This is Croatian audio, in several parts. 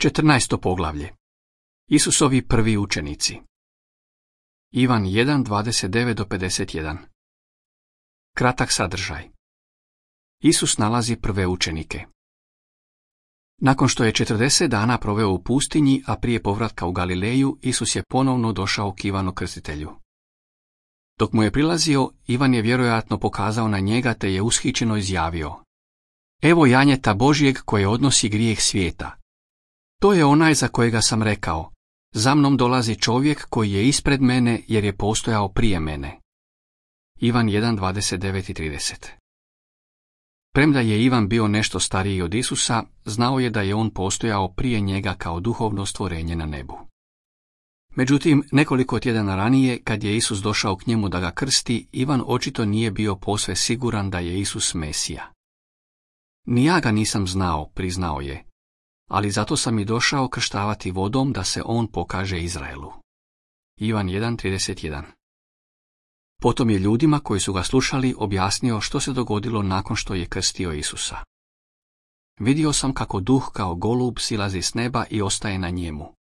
14. poglavlje. Isusovi prvi učenici. Ivan 1:29-51. Kratak sadržaj. Isus nalazi prve učenike. Nakon što je 40 dana proveo u pustinji, a prije povratka u Galileju, Isus je ponovno došao k Ivanu Krstitelju. Dok mu je prilazio, Ivan je vjerojatno pokazao na njega te je ushićeno izjavio: Evo janjeta Božjeg koje odnosi grijeh svijeta. To je onaj za kojega sam rekao: za mnom dolazi čovjek koji je ispred mene jer je postojao prije mene. Ivan 1:29-30. Premda je Ivan bio nešto stariji od Isusa, znao je da je on postojao prije njega kao duhovno stvorenje na nebu. Međutim, nekoliko tjedana ranije, kad je Isus došao k njemu da ga krsti, Ivan očito nije bio posve siguran da je Isus Mesija. Ni ja ga nisam znao, priznao je, ali zato sam i došao krštavati vodom da se on pokaže Izraelu. Ivan 1:31. Potom je ljudima koji su ga slušali objasnio što se dogodilo nakon što je krstio Isusa. Vidio sam kako duh kao golub silazi s neba i ostaje na njemu.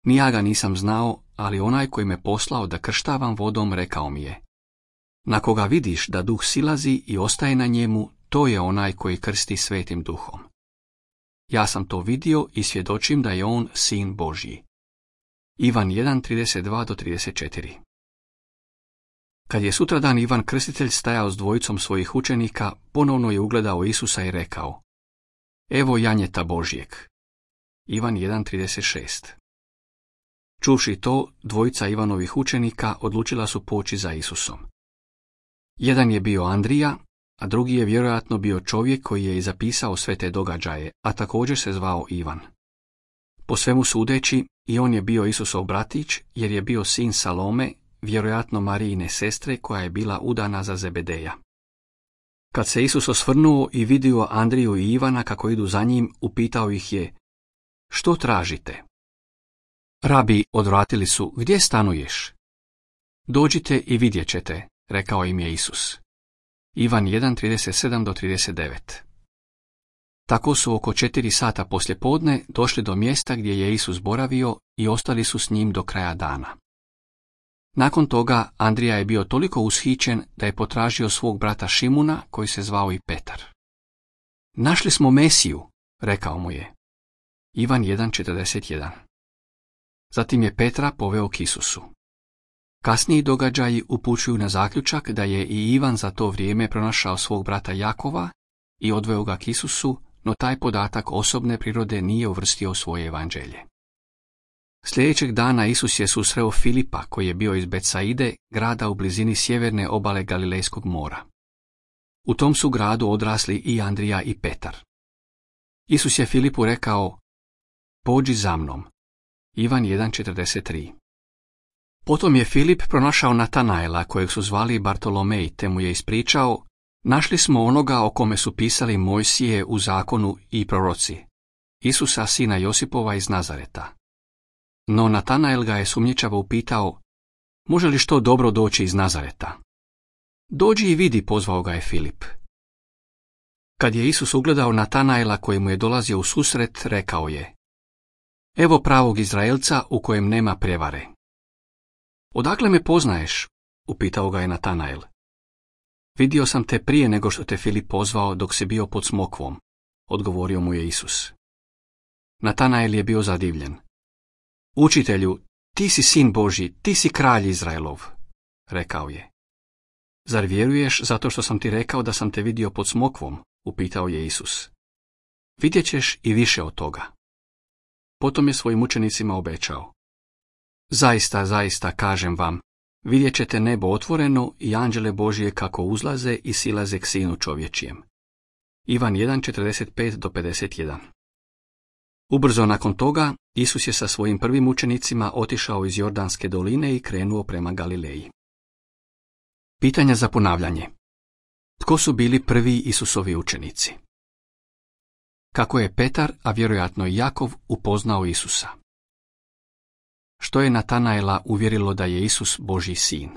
Ni ja ga nisam znao, ali onaj koji me poslao da krštavam vodom rekao mi je: na koga vidiš da duh silazi i ostaje na njemu, to je onaj koji krsti Svetim duhom. Ja sam to vidio i svjedočim da je on Sin Božji. Ivan 1:32-34. Kad je sutradan Ivan Krstitelj stajao s dvojicom svojih učenika, ponovno je ugledao Isusa i rekao: Evo janjeta Božjeg. Ivan 1:36. Čuvši to, dvojica Ivanovih učenika odlučila su poći za Isusom. Jedan je bio Andrija, a drugi je vjerojatno bio čovjek koji je i zapisao sve te događaje, a također se zvao Ivan. Po svemu sudeći, i on je bio Isusov bratić, jer je bio sin Salome, vjerojatno Marijine sestre koja je bila udana za Zebedeja. Kad se Isus osvrnuo i vidio Andriju i Ivana kako idu za njim, upitao ih je: što tražite? Rabi, odvratili su, gdje stanuješ? Dođite i vidjet ćete, rekao im je Isus. Ivan 1:37-39. Tako su oko 4 sata poslijepodne došli do mjesta gdje je Isus boravio i ostali su s njim do kraja dana. Nakon toga Andrija je bio toliko ushićen da je potražio svog brata Šimuna, koji se zvao i Petar. Našli smo Mesiju, rekao mu je. Ivan 1:41. Zatim je Petra poveo k Isusu. Kasniji događaji upućuju na zaključak da je i Ivan za to vrijeme pronašao svog brata Jakova i odveo ga k Isusu, no taj podatak osobne prirode nije uvrstio u svoje evanđelje. Sljedećeg dana Isus je susreo Filipa, koji je bio iz Betsaide, grada u blizini sjeverne obale Galilejskog mora. U tom su gradu odrasli i Andrija i Petar. Isus je Filipu rekao: pođi za mnom. Ivan 1:43. Potom je Filip pronašao Natanaela, kojeg su zvali Bartolomej, te mu je ispričao: našli smo onoga o kome su pisali Mojsije u zakonu i proroci, Isusa sina Josipova iz Nazareta. No Natanael ga je sumnjičavo upitao: može li što dobro doći iz Nazareta? Dođi i vidi, pozvao ga je Filip. Kad je Isus ugledao Natanaela koji mu je dolazio u susret, rekao je: evo pravog Izraelca u kojem nema prevare. Odakle me poznaješ? Upitao ga je Natanael. Vidio sam te prije nego što te Filip pozvao dok si bio pod smokvom, odgovorio mu je Isus. Natanael je bio zadivljen. Učitelju, ti si sin Božji, ti si kralj Izraelov, rekao je. Zar vjeruješ zato što sam ti rekao da sam te vidio pod smokvom? Upitao je Isus. Vidjet ćeš i više od toga. Potom je svojim učenicima obećao: zaista, zaista, kažem vam, vidjet ćete nebo otvoreno i anđele Božje kako uzlaze i silaze k Sinu čovječjem. Ivan 1:45-51. Ubrzo nakon toga, Isus je sa svojim prvim učenicima otišao iz Jordanske doline i krenuo prema Galileji. Pitanja za ponavljanje. Tko su bili prvi Isusovi učenici? Kako je Petar, a vjerojatno i Jakov, upoznao Isusa? Što je Natanaela uvjerilo da je Isus Božji sin?